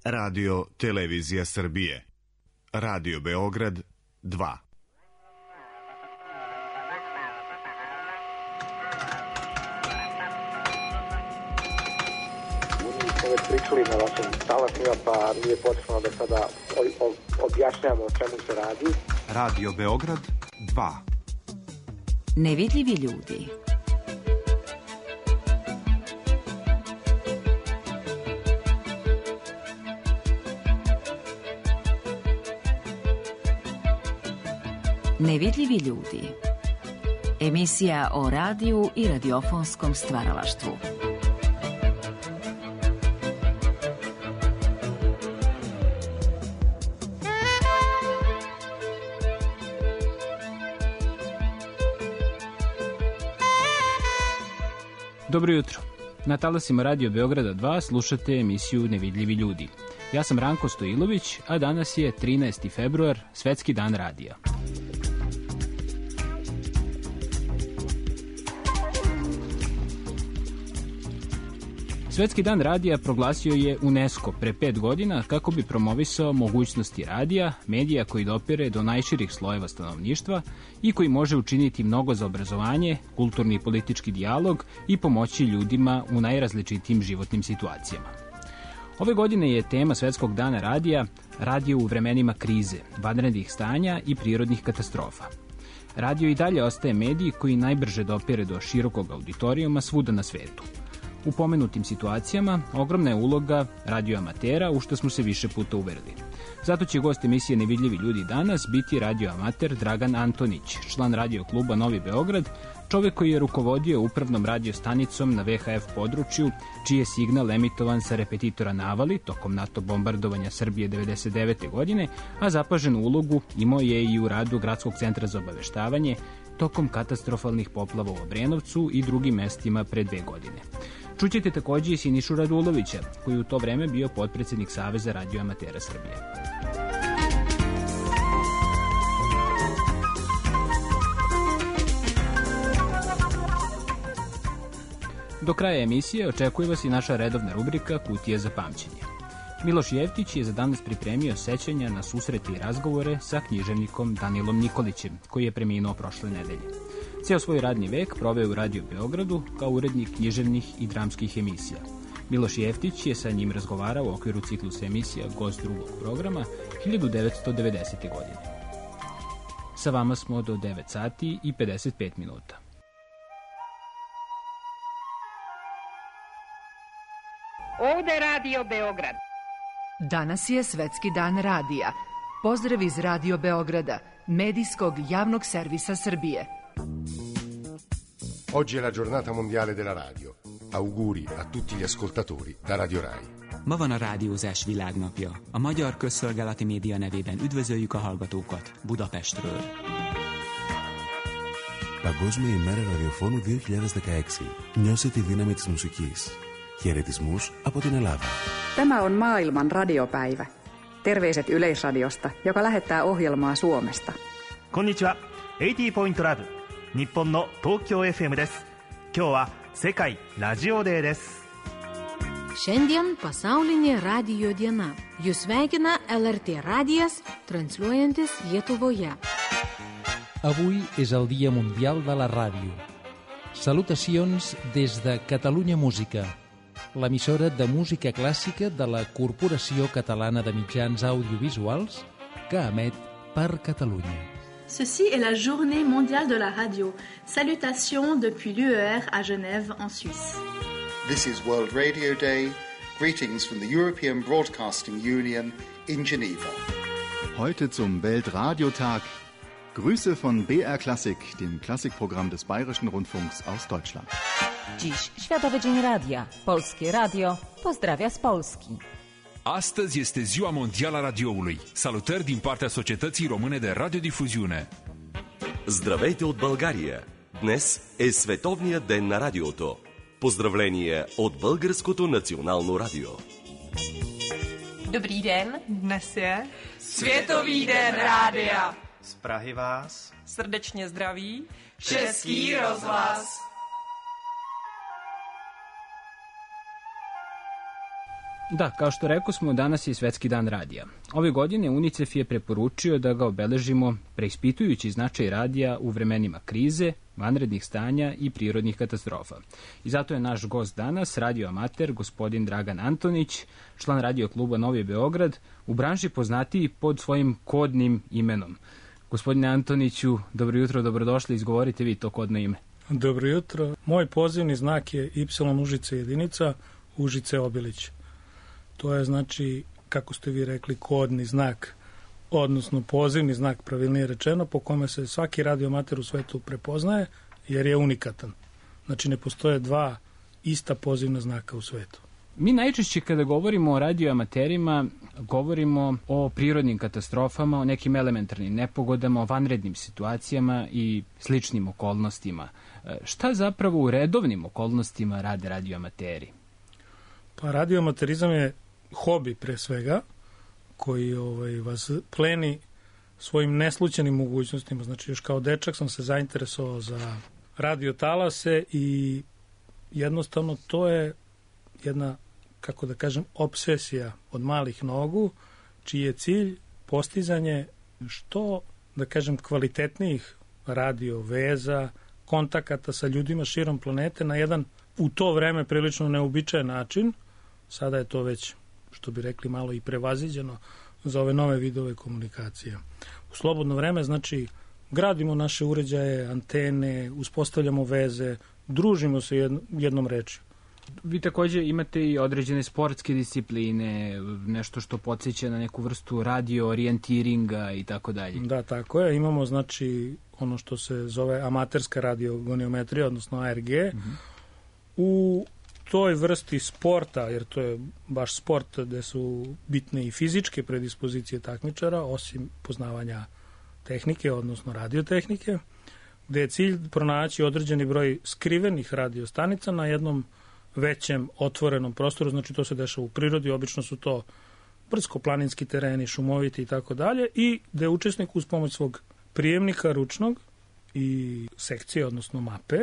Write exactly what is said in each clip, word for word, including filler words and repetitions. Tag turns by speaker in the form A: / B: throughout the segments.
A: Radio Televizija Srbije. Radio Beograd dva.
B: Već pričali na vašim talasima, pa nije potrebno da sada objašnjamo o čemu se radi.
C: Radio Beograd dva.
D: Nevidljivi ljudi. Nevidljivi ljudi. Emisija o radiju i radiofonskom stvaralaštvu.
E: Dobro jutro. Na talasima Radio Beograda dva slušate emisiju Nevidljivi ljudi. Ja sam Ranko Stojilović, a danas je trinaesti februar, Svetski dan radija. Svetski dan radija proglasio je UNESCO pre pet godina kako bi promovisao mogućnosti radija, medija koji dopire do najširih slojeva stanovništva i koji može učiniti mnogo za obrazovanje, kulturni i politički dijalog i pomoći ljudima u najrazličitijim životnim situacijama. Ove godine je tema Svetskog dana radija radio u vremenima krize, vanrednih stanja i prirodnih katastrofa. Radio i dalje ostaje medij koji najbrže dopire do širokog auditorijuma svuda na svetu. U pomenutim situacijama ogromna je uloga radioamatera, u što smo se više puta uverili. Zato će gost emisije Nevidljivi ljudi danas biti radioamater Dragan Antonić, član radio kluba Novi Beograd, čovjek koji je rukovodio upravnom radiostanicom na ve ha ef području, čiji je signal emitovan sa repetitora Navali tokom NATO bombardovanja Srbije devedeset devete godine, a zapaženu ulogu imao je i u radu Gradskog centra za obaveštavanje tokom katastrofalnih poplava u Obrenovcu i drugim mestima pre dve godine. Čućete također i Sinišu Radulovića, koji u to vreme bio potpredsjednik Saveza radioamatera Srbije. Do kraja emisije očekuje vas i naša redovna rubrika Kutija za pamćenje. Miloš Jeftić je za danas pripremio sećanja na susrete i razgovore sa književnikom Danilom Nikolićem, koji je preminuo prošle nedelje. Ceo svoj radni vek proveo u Radio Beogradu kao urednik književnih i dramskih emisija. Miloš Jeftić je sa njim razgovarao u okviru ciklusa emisija Gost drugog programa hiljadu devetsto devedesete. godine. Sa vama smo do devet sati i pedeset pet minuta.
F: Ovde Radio Beograd.
G: Danas je Svetski dan radija. Pozdrav iz Radio Beograda, medijskog javnog servisa Srbije.
H: Oggi è la giornata mondiale della radio. Auguri a tutti gli ascoltatori da Radio Rai.
I: Ma van a rádiózás világnapja. A Magyar Közszolgálati Média nevében üdvözöljük a hallgatókat Budapestről.
J: Παγκόσμια ημέρα ραδιοφώνου δύο χιλιάδες δεκαέξι. Νιώσε τη δύναμη της μουσικής. Χαιρετισμούς από την Ελλάδα.
K: Tämä on maailman radiopäivä. Terveiset Yleisradiosta, joka lähettää ohjelmaa Suomesta.
L: Konnichiwa. eighty point lab 日本の東京 エフエム です。今日は世界ラジオデーです。
M: Šiandien pasaulinė radijo diena. Jūs sveikina el er te radijas, transliuojantis Lietuvoje.
N: Avui és el Dia Mundial de la Ràdio. Salutacions des de Catalunya Música, l'emissora de música clàssica de la Corporació Catalana de Mitjans Audiovisuals que emet per Catalunya.
O: Ceci est la journée mondiale de la radio. Salutations depuis l'U E R à Genève, en Suisse.
P: This is World Radio Day. Greetings from the European Broadcasting Union in Geneva.
Q: Heute zum Weltradiotag. Grüße von B R Klassik, dem Klassikprogramm des Bayerischen Rundfunks aus Deutschland.
R: Dziś Światowy Dzień Radia. Polskie Radio pozdrawia z Polski.
S: Astăzi este Ziua Mondială a Radioului. Salutări din partea Societății Române de Radiodifузиune.
T: Здравейте от България! Днес е Световният ден на радиото. Поздравления от Българското национално радио.
U: Dobrý den, dnes je Světový den rádia.
V: Z Prahy vás
U: srdečně zdraví Český rozhlas.
E: Da, kao što rekao smo, danas je Svetski dan radija. Ove godine UNICEF je preporučio da ga obeležimo preispitujući značaj radija u vremenima krize, vanrednih stanja i prirodnih katastrofa. I zato je naš gost danas, radio amater, gospodin Dragan Antonić, član radio kluba Novi Beograd, u branši poznatiji pod svojim kodnim imenom. Gospodine Antoniću, dobro jutro, dobrodošli, izgovorite vi to kodno ime.
A: Dobro jutro. Moj pozivni znak je Y Užice jedinica, Užice Obilić. To je, znači, kako ste vi rekli, kodni znak, odnosno pozivni znak, pravilnije rečeno, po kome se svaki radioamater u svetu prepoznaje, jer je unikatan. Znači, ne postoje dva ista pozivna znaka u svetu.
E: Mi najčešće kada govorimo o radioamaterima, govorimo o prirodnim katastrofama, o nekim elementarnim nepogodama, o vanrednim situacijama i sličnim okolnostima. Šta zapravo u redovnim okolnostima rade radioamateri?
A: Pa radioamaterizam je hobi pre svega, koji ovaj, vas pleni svojim neslućenim mogućnostima. Znači, još kao dečak sam se zainteresovao za radiotalase i jednostavno to je jedna, kako da kažem, obsesija od malih nogu, čiji je cilj postizanje što, da kažem, kvalitetnijih radio veza, kontakata sa ljudima širom planete na jedan u to vreme prilično neobičajen način. Sada je to već, što bi rekli, malo i prevaziđeno za ove nove vidove komunikacije. U slobodno vreme, znači, gradimo naše uređaje, antene, uspostavljamo veze, družimo se jednom rečju.
E: Vi također imate i određene sportske discipline, nešto što podsjeća na neku vrstu radio orijentiringa i tako dalje.
A: Da, tako je. Imamo, znači, ono što se zove amaterska radiogoniometrija, odnosno A R G. Mm-hmm. U toj vrsti sporta, jer to je baš sport gde su bitne i fizičke predispozicije takmičara, osim poznavanja tehnike, odnosno radiotehnike, gde je cilj pronaći određeni broj skrivenih radiostanica na jednom većem otvorenom prostoru, znači to se dešava u prirodi, obično su to brdsko-planinski tereni, šumoviti i tako dalje, i gde učesnik uz pomoć svog prijemnika ručnog i sekcije, odnosno mape,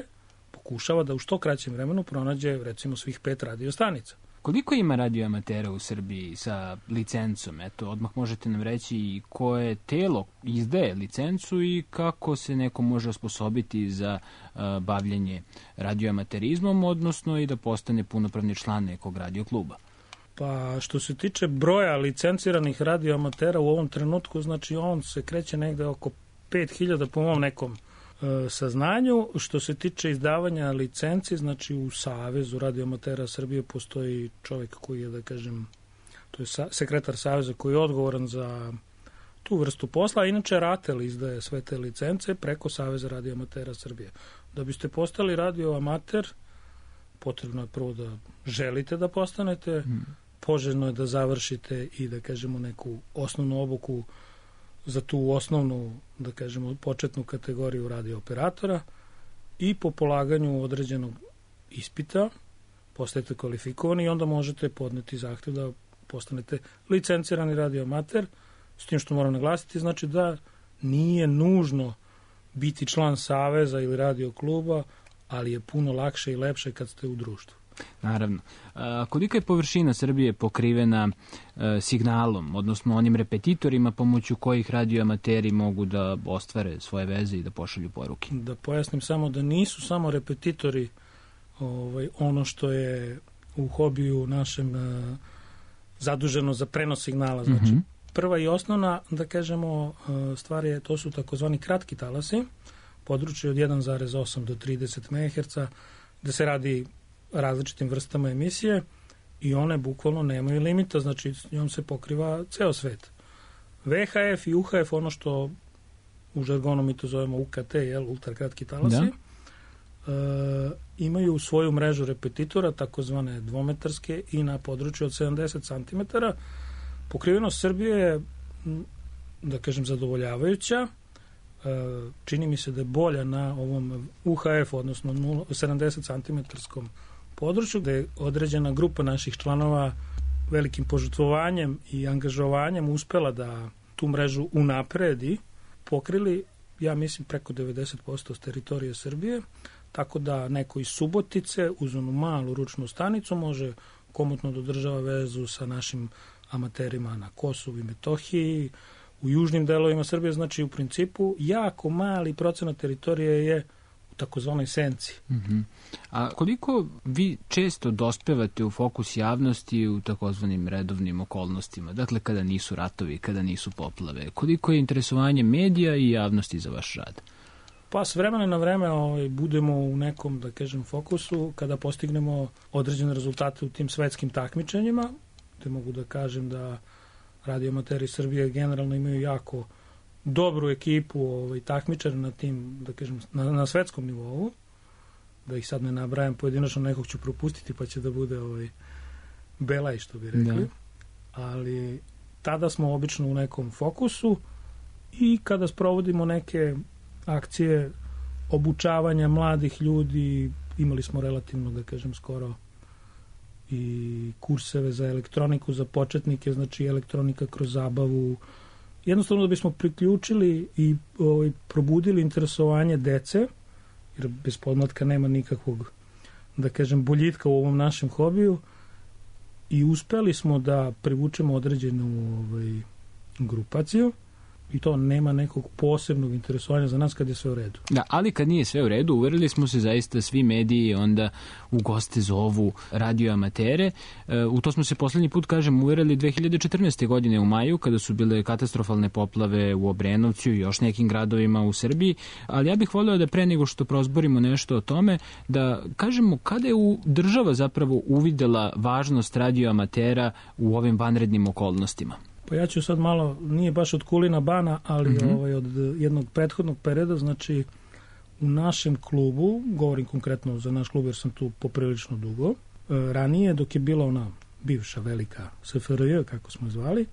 A: pokušava da u što kraćem vremenu pronađe, recimo, svih pet radiostanica.
E: Koliko ima radioamatera u Srbiji sa licencom? Eto, odmah možete nam reći i koje telo izdaje licencu i kako se neko može osposobiti za uh, bavljenje radioamaterizmom, odnosno i da postane punopravni član nekog radiokluba.
A: Pa, što se tiče broja licenciranih radioamatera u ovom trenutku, znači on se kreće negde oko pet hiljada po mom nekom saznanju. Što se tiče izdavanja licenci, znači u Savezu radioamatera Srbije postoji čovjek koji je, da kažem, to je sekretar Saveza koji je odgovoran za tu vrstu posla, a inače RATEL izdaje sve te licence preko Saveza radioamatera Srbije. Da biste postali radioamater, potrebno je prvo da želite da postanete, hmm. poželjno je da završite i, da kažemo, neku osnovnu obuku za tu osnovnu, da kažemo, početnu kategoriju radiooperatora i po polaganju određenog ispita postajete kvalifikovani i onda možete podneti zahtev da postanete licencirani radioamater, s tim što moram naglasiti, znači da nije nužno biti član saveza ili radiokluba, ali je puno lakše i lepše kad ste u društvu.
E: Naravno. A, kolika je površina Srbije pokrivena e, signalom, odnosno onim repetitorima pomoću kojih radioamateri mogu da ostvare svoje veze i da pošalju poruke?
A: Da pojasnim samo da nisu samo repetitori ovaj, ono što je u hobiju našem e, zaduženo za prenos signala. Znači, mm-hmm. prva i osnovna, da kažemo, e, stvar je, to su takozvani kratki talasi, područje od jedan zarez osam do trideset megaherca, gde se radi različitim vrstama emisije i one bukvalno nemaju limita, znači s njom se pokriva ceo svet. V H F i U H F, ono što u žargonu mi to zovemo U K T, jel, ultrakratki talasi, da. e, imaju svoju mrežu repetitora, takozvane dvometarske, i na području od sedamdeset centimetara. Pokrivenost Srbije je, da kažem, zadovoljavajuća. E, čini mi se da je bolja na ovom U H F, odnosno sedamdeset centimetrskom području, gde je određena grupa naših članova velikim požrtvovanjem i angažovanjem uspela da tu mrežu unapredi, pokrili, ja mislim, preko devedeset posto teritorije Srbije, tako da neko iz Subotice uz onu malu ručnu stanicu može komotno dodržava vezu sa našim amaterima na Kosovu i Metohiji, u južnim delovima Srbije, znači u principu jako mali procenat teritorije je u takozvanoj senci.
E: Uh-huh. A koliko vi često dospevate u fokus javnosti u takozvanim redovnim okolnostima, dakle kada nisu ratovi, kada nisu poplave, koliko je interesovanje medija i javnosti za vaš rad?
A: Pa s vremena na vreme ovaj, budemo u nekom, da kažem, fokusu kada postignemo određene rezultate u tim svetskim takmičenjima, te mogu da kažem da radioamateri Srbije generalno imaju jako dobru ekipu ovaj, takmičara na tim, da kažem, na, na svetskom nivou, da ih sad ne nabrajam pojedinačno, nekog ću propustiti pa će da bude ovaj, belaj, što bi rekli. Da. Ali tada smo obično u nekom fokusu i kada sprovodimo neke akcije obučavanja mladih ljudi, imali smo relativno, da kažem, skoro i kurseve za elektroniku za početnike, znači elektronika kroz zabavu, jednostavno da bismo priključili i ovaj, probudili interesovanje dece, jer bez podmlatka nema nikakvog, da kažem, boljitka u ovom našem hobiju, i uspeli smo da privučemo određenu ovaj, grupaciju, i to nema nekog posebnog interesovanja za nas kad je sve u redu.
E: Da, ali kad nije sve u redu, uverili smo se zaista svi mediji onda u goste zovu radioamatere. E, u to smo se poslednji put, kažem, uverili dve hiljade četrnaeste. godine u maju, kada su bile katastrofalne poplave u Obrenovcu i još nekim gradovima u Srbiji. Ali ja bih voleo da pre nego što prozborimo nešto o tome, da kažemo kada je u država zapravo uvidela važnost radioamatera u ovim vanrednim okolnostima.
A: Pa ja ću sad malo, nije baš od kulina bana, ali mm-hmm. ovaj, od jednog prethodnog perioda, znači u našem klubu, govorim konkretno za naš klub jer sam tu poprilično dugo, ranije dok je bila ona bivša velika S F R J, kako smo zvali,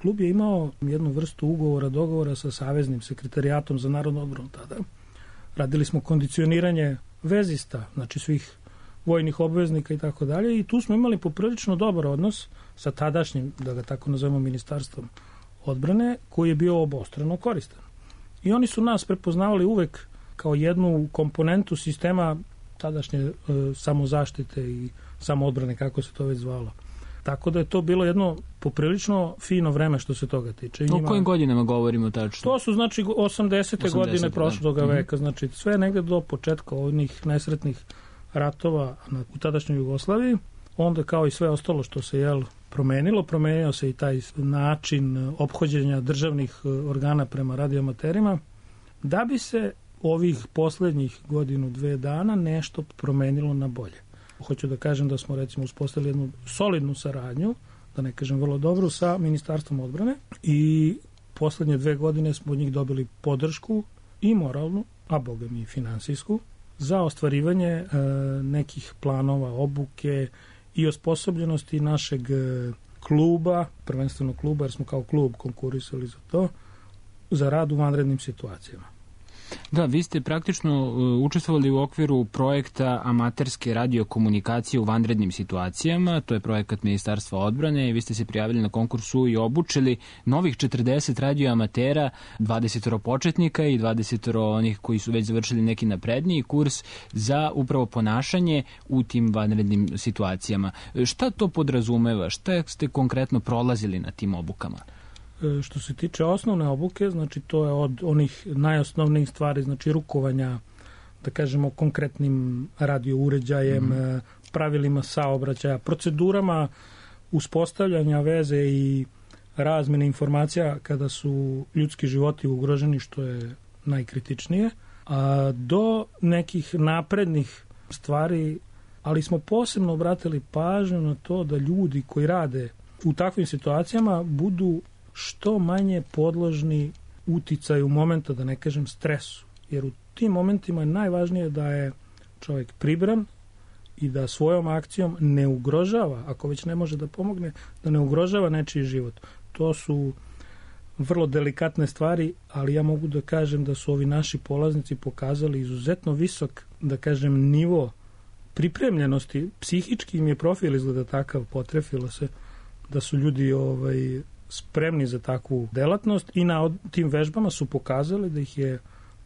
A: klub je imao jednu vrstu ugovora, dogovora sa Saveznim sekretarijatom za narodnu odbranu tada. Radili smo kondicioniranje vezista, znači svih vojnih obveznika i tako dalje, i tu smo imali poprilično dobar odnos sa tadašnjim, da ga tako nazovemo, ministarstvom odbrane, koji je bio obostrano koristan. I oni su nas prepoznavali uvek kao jednu komponentu sistema tadašnje e, samozaštite i samoodbrane, kako se to već zvalo. Tako da je to bilo jedno poprilično fino vreme što se toga tiče.
E: O njima, kojim godinama govorimo tačno?
A: To su znači osamdesete godine prošlog veka, znači sve negde do početka onih nesretnih ratova na, u tadašnjoj Jugoslaviji. Onda kao i sve ostalo što se jel, promenilo, promenio se i taj način ophođenja državnih organa prema radioamaterima, da bi se ovih poslednjih godinu, dve dana nešto promenilo na bolje. Hoću da kažem da smo recimo uspostavili jednu solidnu saradnju, da ne kažem vrlo dobru, sa Ministarstvom odbrane, i poslednje dve godine smo od njih dobili podršku i moralnu, a boga mi i finansijsku, za ostvarivanje e, nekih planova, obuke i osposobljenosti našeg kluba, prvenstveno kluba, jer smo kao klub konkurisali za to, za rad u vanrednim situacijama.
E: Da, vi ste praktično učestvovali u okviru projekta amaterske radiokomunikacije u vanrednim situacijama, to je projekat Ministarstva odbrane, i vi ste se prijavili na konkursu i obučili novih četrdeset radioamatera, dvadeset početnika i dvadeset onih koji su već završili neki napredniji kurs za upravo ponašanje u tim vanrednim situacijama. Šta to podrazumeva? Šta ste konkretno prolazili na tim obukama?
A: Što se tiče osnovne obuke, znači to je od onih najosnovnijih stvari, znači rukovanja, da kažemo, konkretnim radio uređajem, mm. pravilima saobraćaja, procedurama uspostavljanja veze i razmene informacija kada su ljudski životi ugroženi, što je najkritičnije, a do nekih naprednih stvari, ali smo posebno obratili pažnju na to da ljudi koji rade u takvim situacijama budu što manje podložni uticaju momenta, da ne kažem stresu. Jer u tim momentima je najvažnije da je čovjek pribran i da svojom akcijom ne ugrožava, ako već ne može da pomogne, da ne ugrožava nečiji život. To su vrlo delikatne stvari, ali ja mogu da kažem da su ovi naši polaznici pokazali izuzetno visok, da kažem, nivo pripremljenosti. Psihički im je profil izgleda takav, potrefilo se da su ljudi ovaj spremni za takvu delatnost, i na tim vežbama su pokazali da ih je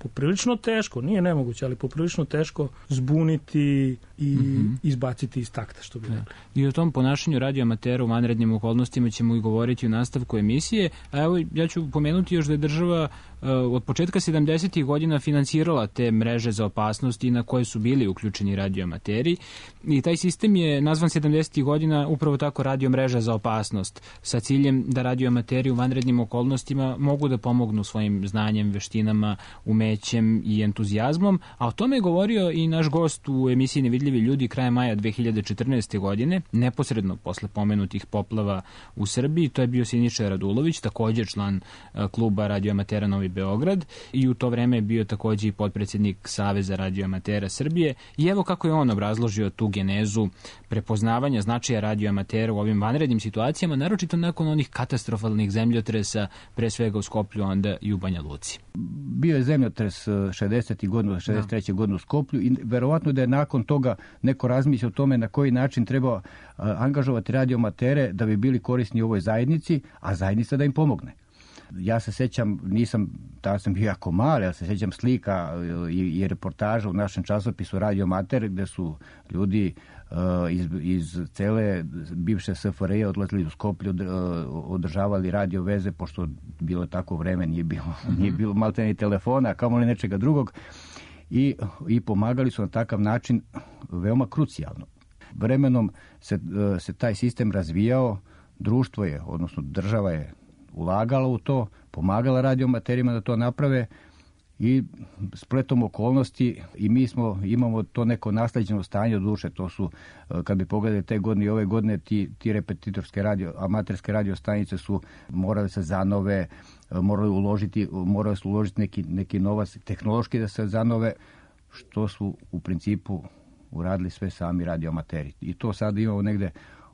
A: poprilično teško, nije nemoguće, ali poprilično teško zbuniti i mm-hmm. izbaciti iz takta, što bi rekli.
E: I o tom ponašanju radioamatera u vanrednim okolnostima ćemo i govoriti u nastavku emisije. A evo, ja ću pomenuti još da je država uh, od početka sedamdesetih godina finansirala te mreže za opasnosti na koje su bili uključeni radioamateri i taj sistem je nazvan sedamdesetih godina upravo tako radio mreža za opasnost sa ciljem da radioamateri u vanrednim okolnostima mogu da pomognu svojim znanjem, veštinama, umećem i entuzijazmom, a o tome je govorio i naš gost u emisiji Nevidljivi ljudi krajem maja dve hiljade četrnaeste. godine, neposredno posle pomenutih poplava u Srbiji. To je bio Siniša Radulović, također član kluba radioamatera Novi Beograd i u to vreme je bio također i potpredsjednik Saveza radioamatera Srbije i evo kako je on obrazložio tu genezu prepoznavanja značaja radioamatera u ovim vanrednim situacijama, naročito nakon onih katastrofalnih zemljotresa, pre svega u Skoplju, onda i u Banja Luci.
B: Bio je zemljotres šezdesetih godina, šezdeset treće. godine u Skoplju i verovatno da je nakon toga neko razmislio o tome na koji način treba angažovati radioamatere da bi bili korisni u ovoj zajednici, a zajednica da im pomogne. Ja se sećam, nisam, tada sam bio jako mali, ali se sećam slika i, i reportaža u našem časopisu Radioamater, gde su ljudi uh, iz, iz cele bivše S F R J odlazili u Skoplju, uh, održavali radio veze, pošto bilo tako vreme, nije bilo, mm-hmm. nije bilo malte ni telefona, kamoli nečega drugog, i, i pomagali su na takav način veoma krucijalno. Vremenom se, uh, se taj sistem razvijao, društvo je, odnosno država je ulagala u to, pomagala radioamaterima da to naprave i spletom okolnosti i mi smo, imamo to neko nasleđeno stanje od duše. To su, kad bi pogledali te godine i ove godine, ti, ti repetitorske radio, amaterske radiostanice su morale se zanove, morali uložiti, morali su uložiti neki, neki novac tehnološki da se zanove, što su u principu uradili sve sami radioamateri. I to sad imamo negde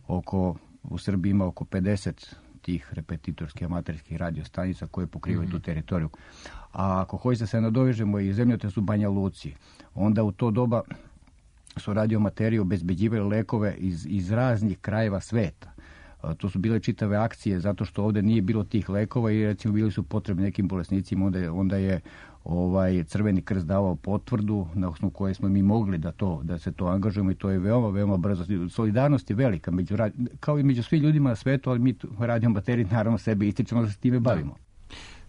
B: oko, u Srbiji ima oko pedeset tih repetitorskih amaterskih radiostanica koje pokrivaju mm-hmm. tu teritoriju. A ako hoćete da se nadovežemo i zemljotres u Banja Luci, onda u to doba su radioamateri obezbeđivali lekove iz, iz raznih krajeva sveta. A, to su bile čitave akcije zato što ovde nije bilo tih lekova i recimo bili su potrebni nekim bolesnicima, onda je, onda je ovaj Crveni krst davao potvrdu na osnovu koje smo mi mogli da to da se to angažujemo i to je veoma veoma brzo. Solidarnost je velika među kao i među svim ljudima na svetu, ali mi radioamateri naravno sebe ističemo da se time bavimo.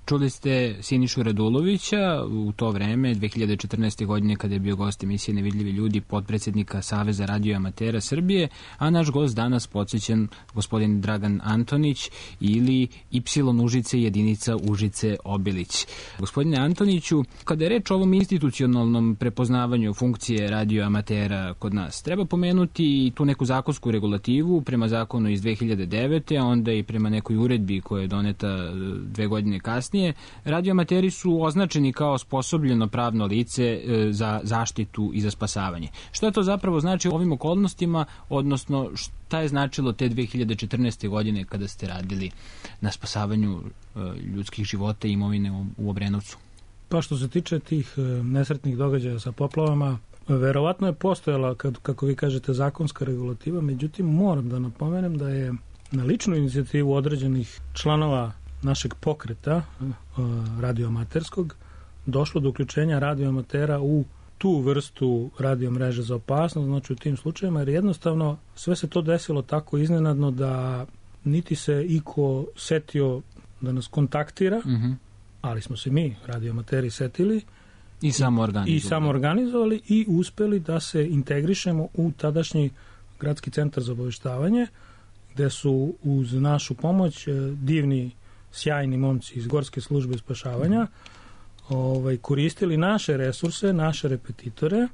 E: Čuli ste Sinišu Radulovića u to vreme, dve hiljade četrnaeste. godine, kada je bio gost emisije Nevidljivi ljudi, potpredsjednika Saveza radioamatera Srbije, a naš gost danas podsjećen gospodin Dragan Antonić ili Y Užice jedinica Užice Obilić. Gospodine Antoniću, kada je reč o ovom institucionalnom prepoznavanju funkcije radioamatera kod nas, treba pomenuti tu neku zakonsku regulativu prema zakonu iz dve hiljade devete. a onda i prema nekoj uredbi koja je doneta dve godine kasnije. Radioamateri su označeni kao osposobljeno pravno lice za zaštitu i za spasavanje. Što to zapravo znači u ovim okolnostima, odnosno šta je značilo te dve hiljade četrnaeste. godine kada ste radili na spasavanju ljudskih života i imovine u Obrenovcu?
A: Pa što se tiče tih nesretnih događaja sa poplavama, verovatno je postojala, kad, kako vi kažete, zakonska regulativa, međutim moram da napomenem da je na ličnu inicijativu određenih članova našeg pokreta radioamaterskog došlo do uključenja radioamatera u tu vrstu radiomreže za opasnost, znači u tim slučajima, jer jednostavno sve se to desilo tako iznenadno da niti se iko setio da nas kontaktira, mm-hmm. ali smo se mi, radioamateri, setili
E: i samo organizovali.
A: i samo organizovali i uspeli da se integrišemo u tadašnji gradski centar za obaveštavanje, gde su uz našu pomoć divni sjajni momci iz Gorske službe spašavanja ovaj, koristili naše resurse, naše repetitore,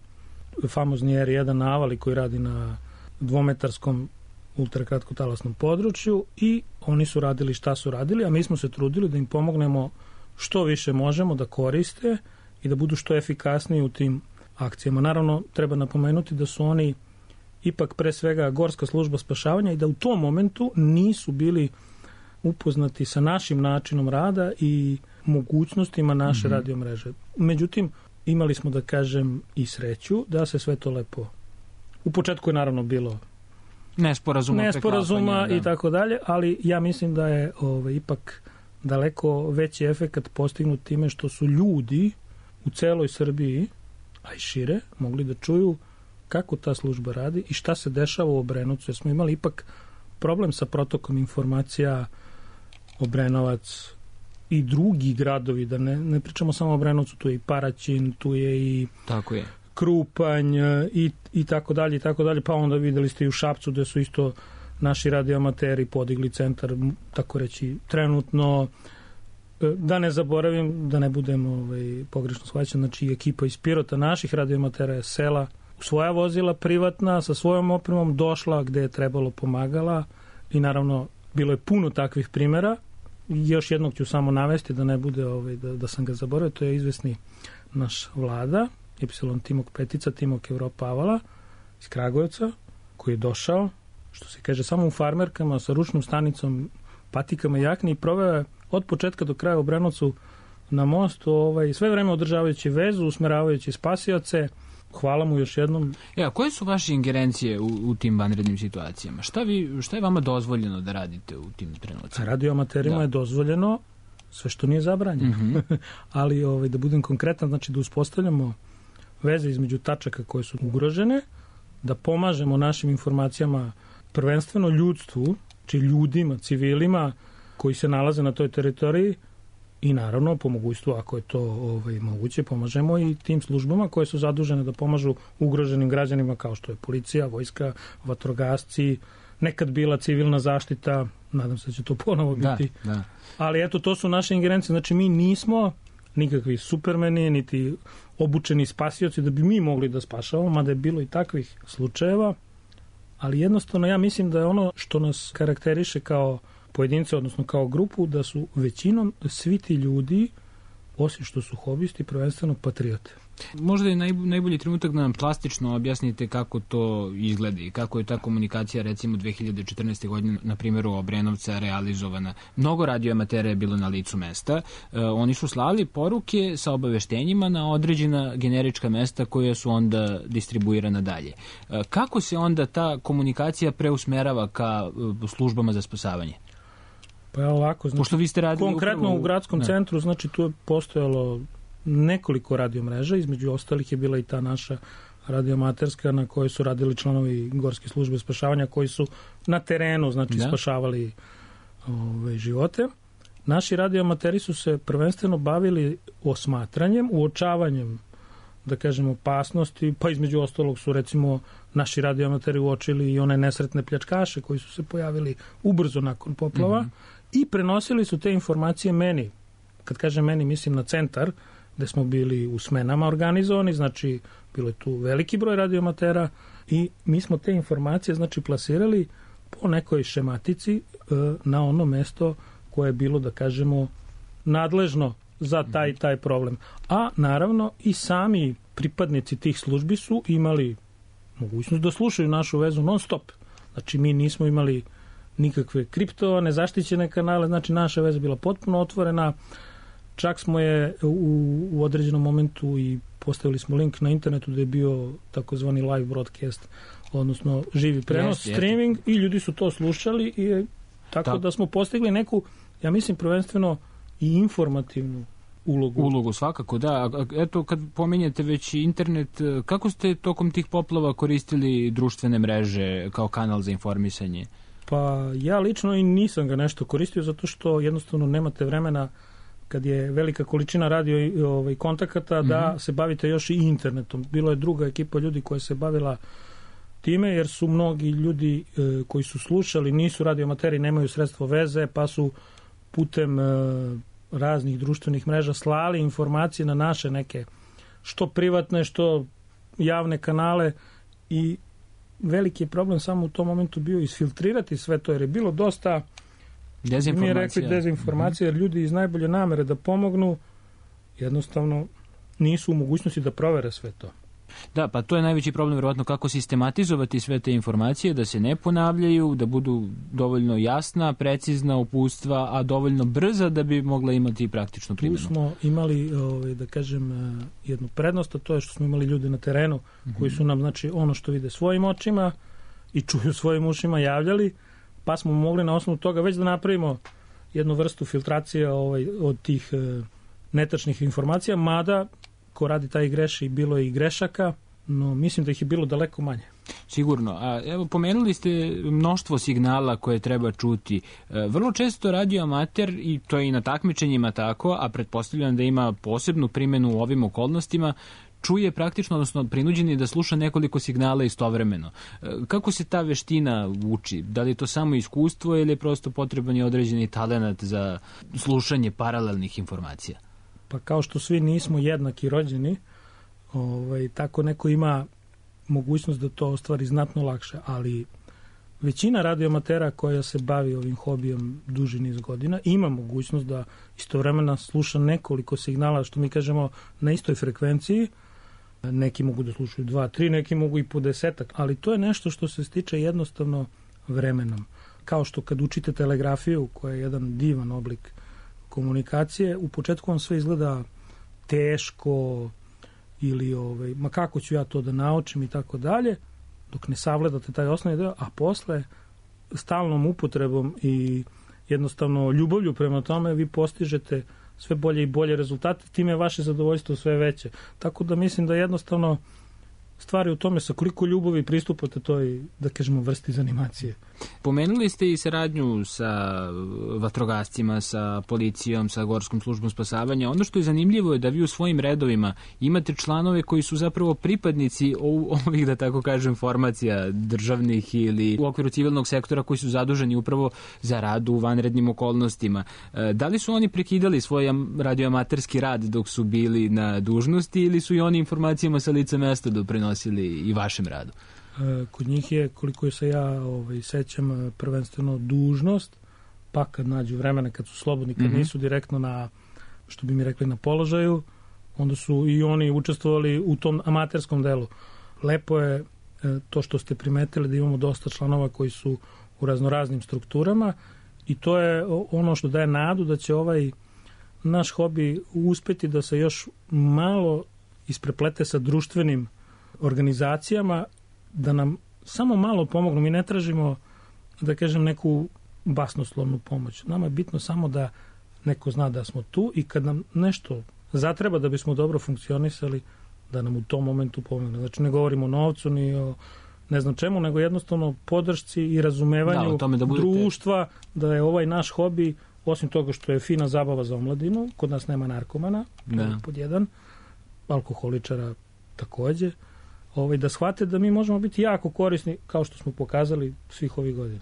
A: famozni R jedan Navali koji radi na dvometarskom ultrakratkotalasnom području, i oni su radili šta su radili, a mi smo se trudili da im pomognemo što više možemo da koriste i da budu što efikasniji u tim akcijama. Naravno, treba napomenuti da su oni ipak pre svega Gorska služba spašavanja i da u tom momentu nisu bili upoznati sa našim načinom rada i mogućnostima naše mm-hmm. radiomreže. Međutim, imali smo, da kažem, i sreću da se sve to lepo... U početku je naravno bilo
E: nesporazuma,
A: nesporazuma i tako dalje, ali ja mislim da je ove, ipak daleko veći efekat postignut time što su ljudi u celoj Srbiji, a i šire, mogli da čuju kako ta služba radi i šta se dešava u Obrenovcu, jer smo imali ipak problem sa protokom informacija Obrenovac i drugi gradovi, da ne, ne pričamo samo o Obrenovcu, tu je i Paraćin, tu je i
E: tako je.
A: Krupanj i, i tako dalje i tako dalje, pa onda videli ste i u Šapcu gde su isto naši radioamateri podigli centar, tako reći, trenutno. Da ne zaboravim, da ne budem ovaj, pogrešno shvaćen, znači ekipa iz Pirota naših radioamatera je sela u svoja vozila privatna, sa svojom opremom došla gde je trebalo, pomagala i naravno bilo je puno takvih primjera. Još jednog ću samo navesti da ne bude ovaj, da, da sam ga zaboravio, to je izvesni naš Vlada, Epsilon Timok Petica, Timok Evropa Avala iz Kragujevca, koji je došao, što se kaže, samo u farmerkama sa ručnom stanicom, patikama i jakni i proveo je od početka do kraja u Obrenovcu na mostu, ovaj, sve vreme održavajući vezu, usmeravajući spasioce. Hvala mu još jednom.
E: Ja, koje su vaše ingerencije u, u tim vanrednim situacijama? Šta, vi, šta je vama dozvoljeno da radite u tim trenucima?
A: Radioamaterima je dozvoljeno sve što nije zabranjeno. Mm-hmm. Ali ovaj, da budem konkretan, znači da uspostavljamo veze između tačaka koje su ugrožene, da pomažemo našim informacijama prvenstveno ljudstvu, či ljudima, civilima koji se nalaze na toj teritoriji i naravno po mogućstvu, ako je to ovaj, moguće, pomažemo i tim službama koje su zadužene da pomažu ugroženim građanima kao što je policija, vojska, vatrogasci, nekad bila civilna zaštita, nadam se da će to ponovo biti.
E: Da, da.
A: Ali eto, to su naše ingerencije, znači mi nismo nikakvi supermeni, niti obučeni spasioci da bi mi mogli da spašavamo, mada je bilo i takvih slučajeva, ali jednostavno ja mislim da je ono što nas karakteriše kao pojedince, odnosno kao grupu, da su većinom svi ti ljudi, osim što su hobisti, prvenstveno patriote.
E: Možda je naj, najbolji trenutak da nam plastično objasnite kako to izgleda i kako je ta komunikacija recimo dve hiljade četrnaeste. godine na primjeru Obrenovca realizovana. Mnogo radioamatera je bilo na licu mesta. E, oni su slali poruke sa obaveštenjima na određena generička mesta koja su onda distribuirana dalje. E, kako se onda ta komunikacija preusmerava ka e, službama za spasavanje?
A: Pa je ovako, znači,
E: pošto vi ste radili
A: konkretno
E: upravo
A: u gradskom ne. centru, znači tu je postojalo nekoliko radiomreža, između ostalih je bila i ta naša radiomaterska na kojoj su radili članovi Gorske službe spašavanja koji su na terenu, znači da. spašavali ove, živote. Naši radioamateri su se prvenstveno bavili osmatranjem, uočavanjem, da kažem, opasnosti, pa između ostalog su recimo naši radioamateri uočili i one nesretne pljačkaše koji su se pojavili ubrzo nakon poplava mm-hmm. i prenosili su te informacije meni. Kad kažem meni, mislim na centar, gde smo bili u smenama organizovani, znači bilo je tu veliki broj radioamatera i mi smo te informacije znači plasirali po nekoj šematici e, na ono mesto koje je bilo, da kažemo, nadležno za taj taj problem. A naravno i sami pripadnici tih službi su imali mogućnost da slušaju našu vezu non stop. Znači mi nismo imali nikakve kriptovane, zaštićene kanale, znači naša veza bila potpuno otvorena. Čak smo je u, u određenom momentu i postavili smo link na internetu da je bio takozvani live broadcast, odnosno živi prenos, yes, streaming yes. i ljudi su to slušali i tako da. da smo postigli neku, ja mislim prvenstveno i informativnu ulogu.
E: Ulogu svakako, da. Eto, kad pominjete već internet, kako ste tokom tih poplava koristili društvene mreže kao kanal za informisanje?
A: Pa ja lično i nisam ga nešto koristio zato što jednostavno nemate vremena kad je velika količina radio i ovaj, kontakata mm-hmm. da se bavite još i internetom. Bilo je druga ekipa ljudi koja se bavila time jer su mnogi ljudi e, koji su slušali, nisu radioamateri, nemaju sredstvo veze, pa su putem e, raznih društvenih mreža slali informacije na naše neke što privatne, što javne kanale i veliki je problem samo u tom momentu bio isfiltrirati sve to jer je bilo dosta mi je rekli dezinformacija jer ljudi iz najbolje namere da pomognu jednostavno nisu u mogućnosti da provere sve to.
E: Da, pa to je najveći problem vjerovatno kako sistematizovati sve te informacije da se ne ponavljaju, da budu dovoljno jasna, precizna uputstva, a dovoljno brza da bi mogla imati praktičnu primjenu.
A: Tu smo imali, ovaj, da kažem, jednu prednost, a to je što smo imali ljude na terenu mm-hmm. koji su nam, znači, ono što vide svojim očima i čuju svojim ušima javljali, pa smo mogli na osnovu toga već da napravimo jednu vrstu filtracije ovaj, od tih e, netačnih informacija, mada ko radi taj greši, bilo je i grešaka, no mislim da ih je bilo daleko manje.
E: Sigurno. A evo, pomenuli ste mnoštvo signala koje treba čuti. E, vrlo često radio amater, i to je i na takmičenjima tako, a pretpostavljam da ima posebnu primjenu u ovim okolnostima, čuje praktično, odnosno prinuđen je da sluša nekoliko signala istovremeno. E, kako se ta veština uči? Da li je to samo iskustvo ili je prosto potreban je određeni talenat za slušanje paralelnih informacija?
A: Pa kao što svi nismo jednaki rođeni, ovaj, tako neko ima mogućnost da to ostvari znatno lakše, ali većina radioamatera koja se bavi ovim hobijom duži niz godina ima mogućnost da istovremeno sluša nekoliko signala, što mi kažemo, na istoj frekvenciji. Neki mogu da slušaju dva, tri, neki mogu i po desetak, ali to je nešto što se stiče jednostavno vremenom. Kao što kad učite telegrafiju, koja je jedan divan oblik komunikacije, u početku vam sve izgleda teško, ili ovaj, ma kako ću ja to da naučim i tako dalje, dok ne savladate taj osnovni deo, a posle stalnom upotrebom i jednostavno ljubavlju prema tome vi postižete sve bolje i bolje rezultate, time je vaše zadovoljstvo sve veće. Tako da mislim da jednostavno stvari u tome sa koliko ljubavi pristupate toj, da kažemo, vrsti za animacije.
E: Pomenuli ste i saradnju sa vatrogascima, sa policijom, sa Gorskom službom spasavanja. Ono što je zanimljivo je da vi u svojim redovima imate članove koji su zapravo pripadnici ovih, da tako kažem, formacija državnih ili u okviru civilnog sektora koji su zaduženi upravo za rad u vanrednim okolnostima. Da li su oni prekidali svoj radioamaterski rad dok su bili na dužnosti ili su i oni informacijama sa lica mesta doprinosili i vašem radu?
A: Kod njih je, koliko se ja ovaj, sećam, prvenstveno dužnost, pa kad nađu vremena, kad su slobodni, kad mm-hmm. nisu direktno na, što bi mi rekli, na položaju, onda su i oni učestvovali u tom amaterskom delu. Lepo je to što ste primetili da imamo dosta članova koji su u raznoraznim strukturama i to je ono što daje nadu da će ovaj naš hobi uspeti da se još malo ispreplete sa društvenim organizacijama, da nam samo malo pomognu. Mi ne tražimo, da kažem, neku basnoslovnu pomoć. Nama je bitno samo da neko zna da smo tu i kad nam nešto zatreba da bismo dobro funkcionisali, da nam u tom momentu pomogne. Znači ne govorimo o novcu ni o ne znam čemu, nego jednostavno podršci i razumevanju da, da budete... društva, da je ovaj naš hobi, osim toga što je fina zabava za omladinu, kod nas nema narkomana, da. pod jedan, alkoholičara takođe, ovaj, da shvate da mi možemo biti jako korisni, kao što smo pokazali svih ovih godina.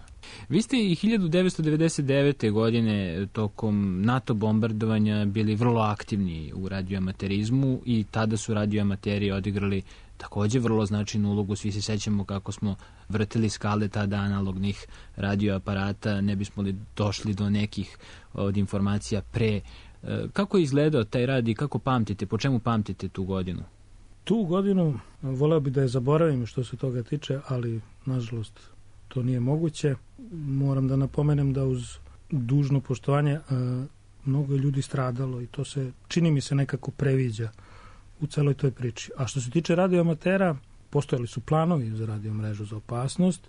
E: Vi ste i hiljadu devetsto devedeset devete. godine tokom NATO bombardovanja bili vrlo aktivni u radioamaterizmu i tada su radioamateri odigrali takođe vrlo značajnu ulogu. Svi se sećamo kako smo vrtili skale tada analognih radioaparata, ne bismo li došli do nekih od informacija pre. Kako je izgledao taj rad i kako pamtite, po čemu pamtite tu godinu?
A: Tu godinu voleo bi da je zaboravim što se toga tiče, ali nažalost to nije moguće. Moram da napomenem da uz dužno poštovanje mnogo ljudi stradalo i to se, čini mi se, nekako previđa u celoj toj priči. A što se tiče radioamatera, postojali su planovi za radiomrežu za opasnost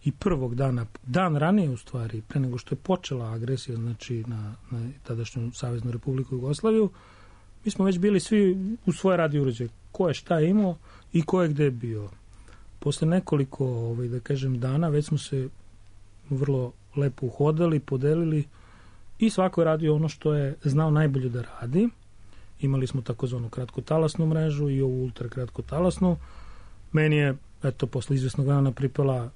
A: i prvog dana, dan ranije u stvari, pre nego što je počela agresija, znači na, na tadašnju Saveznu Republiku Jugoslaviju, mi smo već bili svi u svoje radio uređaje. Ko je šta imao i ko je gde bio. Posle nekoliko, ovaj, da kažem, dana već smo se vrlo lepo uhodali, podelili i svako je radio ono što je znao najbolje da radi. Imali smo takozvanu kratkotalasnu mrežu i ovu ultrakratkotalasnu. Meni je, eto, posle izvesnog dana pripala,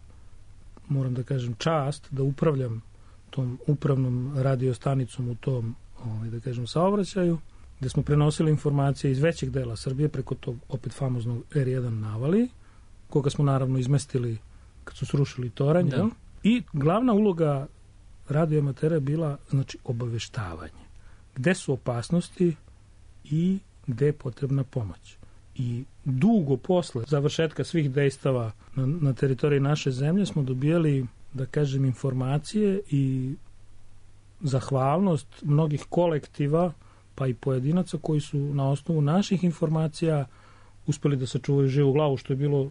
A: moram da kažem, čast da upravljam tom upravnom radiostanicom u tom, ovaj, da kažem, saobraćaju, gde smo prenosili informacije iz većeg dela Srbije preko tog opet famoznog er jedan navali, koga smo naravno izmestili kad su srušili toranj. Da. I glavna uloga radioamatera je bila, znači, obaveštavanje. Gde su opasnosti i gde je potrebna pomoć. I dugo posle završetka svih dejstava na, na teritoriji naše zemlje smo dobijali, da kažem, informacije i zahvalnost mnogih kolektiva pa i pojedinaca koji su na osnovu naših informacija uspeli da sačuvaju živu glavu, što je bilo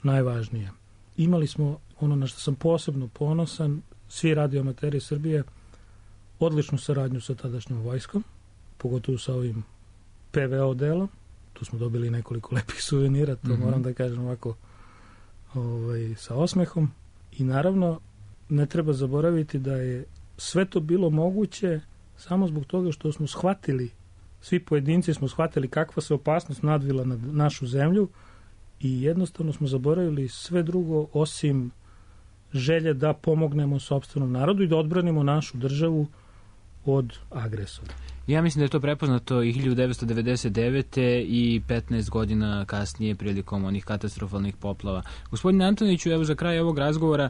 A: najvažnije. Imali smo, ono na što sam posebno ponosan, svi radioamateri Srbije, odličnu saradnju sa tadašnjom vojskom, pogotovo sa ovim pe ve o delom, tu smo dobili nekoliko lepih suvenira, to mm-hmm. moram da kažem ovako ovaj, sa osmehom. I naravno, ne treba zaboraviti da je sve to bilo moguće samo zbog toga što smo shvatili, svi pojedinci smo shvatili kakva se opasnost nadvila na našu zemlju i jednostavno smo zaboravili sve drugo osim želje da pomognemo sopstvenom narodu i da odbranimo našu državu od agresora.
E: Ja mislim da je to prepoznato i hiljadu devetsto devedeset devete i petnaest godina kasnije prilikom onih katastrofalnih poplava. Gospodine Antoniću, evo za kraj ovog razgovora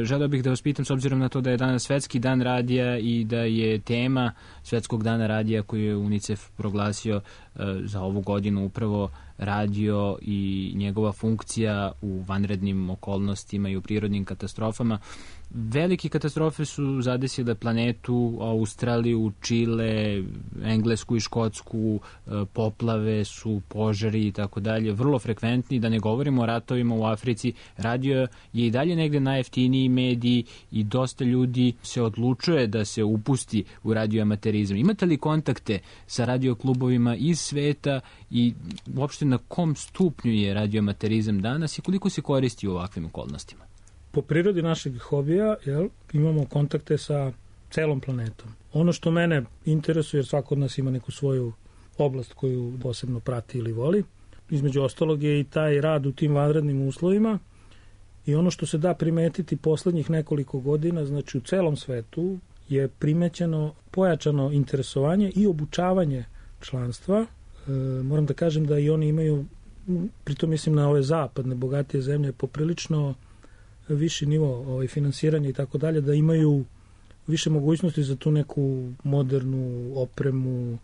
E: želeo bih da vas pitam, s obzirom na to da je danas Svetski dan radija i da je tema Svetskog dana radija koju je UNICEF proglasio za ovu godinu upravo radio i njegova funkcija u vanrednim okolnostima i u prirodnim katastrofama. Velike katastrofe su zadesile planetu, Australiju, Čile, Englesku i Škotsku, poplave su, požari i tako dalje, vrlo frekventni, da ne govorimo o ratovima u Africi. Radio je i dalje negde najjeftiniji medij i dosta ljudi se odlučuje da se upusti u radioamaterizam. Imate li kontakte sa radioklubovima iz sveta i uopšte na kom stupnju je radioamaterizam danas i koliko se koristi u ovakvim okolnostima?
A: Po prirodi našeg hobija, jel, imamo kontakte sa celom planetom. Ono što mene interesuje, jer svako od nas ima neku svoju oblast koju posebno prati ili voli, između ostalog je i taj rad u tim vanrednim uslovima i ono što se da primetiti poslednjih nekoliko godina, znači u celom svetu je primećeno pojačano interesovanje i obučavanje članstva. E, moram da kažem da i oni imaju, pritom mislim na ove zapadne, bogatije zemlje, poprilično viši nivo ovaj, finansiranja i tako dalje, da imaju više mogućnosti za tu neku modernu opremu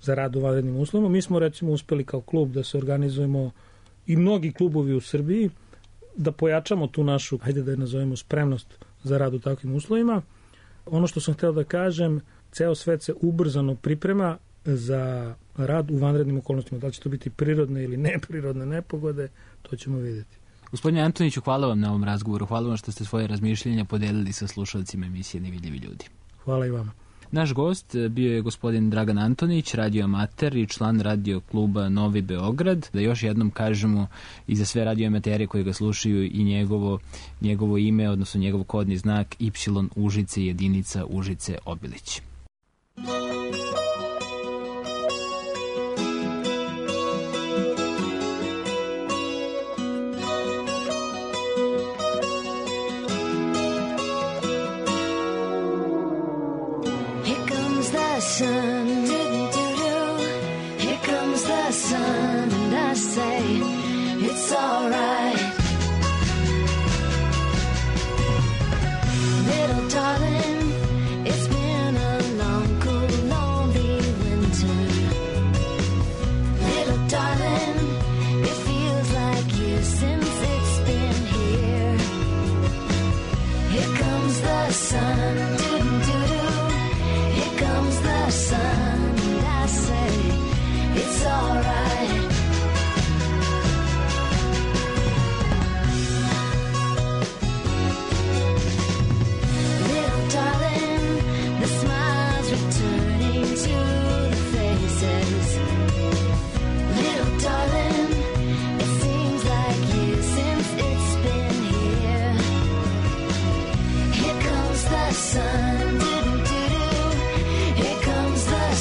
A: za rad u vanrednim uslovima. Mi smo recimo uspeli kao klub da se organizujemo i mnogi klubovi u Srbiji da pojačamo tu našu, hajde da je nazovemo, spremnost za rad u takvim uslovima. Ono što sam hteo da kažem, ceo svet se ubrzano priprema za rad u vanrednim okolnostima. Da li će to biti prirodne ili neprirodne nepogode, to ćemo vidjeti.
E: Gospodine Antoniću, hvala vam na ovom razgovoru. Hvala vam što ste svoje razmišljenja podelili sa slušalcima emisije Nevidljivi ljudi.
A: Hvala i vama.
E: Naš gost bio je gospodin Dragan Antonić, radioamater i član radio kluba Novi Beograd. Da još jednom kažemo i za sve radioamatere koji ga slušaju i njegovo, njegovo ime, odnosno njegov kodni znak Y Užice jedinica Užice Obilić.
C: Sun, doo-doo-doo. Here comes the sun, and I say it's all right. Little darling, it's been a long, cool, lonely winter. Little darling, it feels like years since it's been here. Here comes the sun, doo-doo-doo. Here comes the sun, and I say it's all right. Little darling, the smiles returning to the faces. Little darling, it seems like years since it's been here. Here comes the sun. Here comes the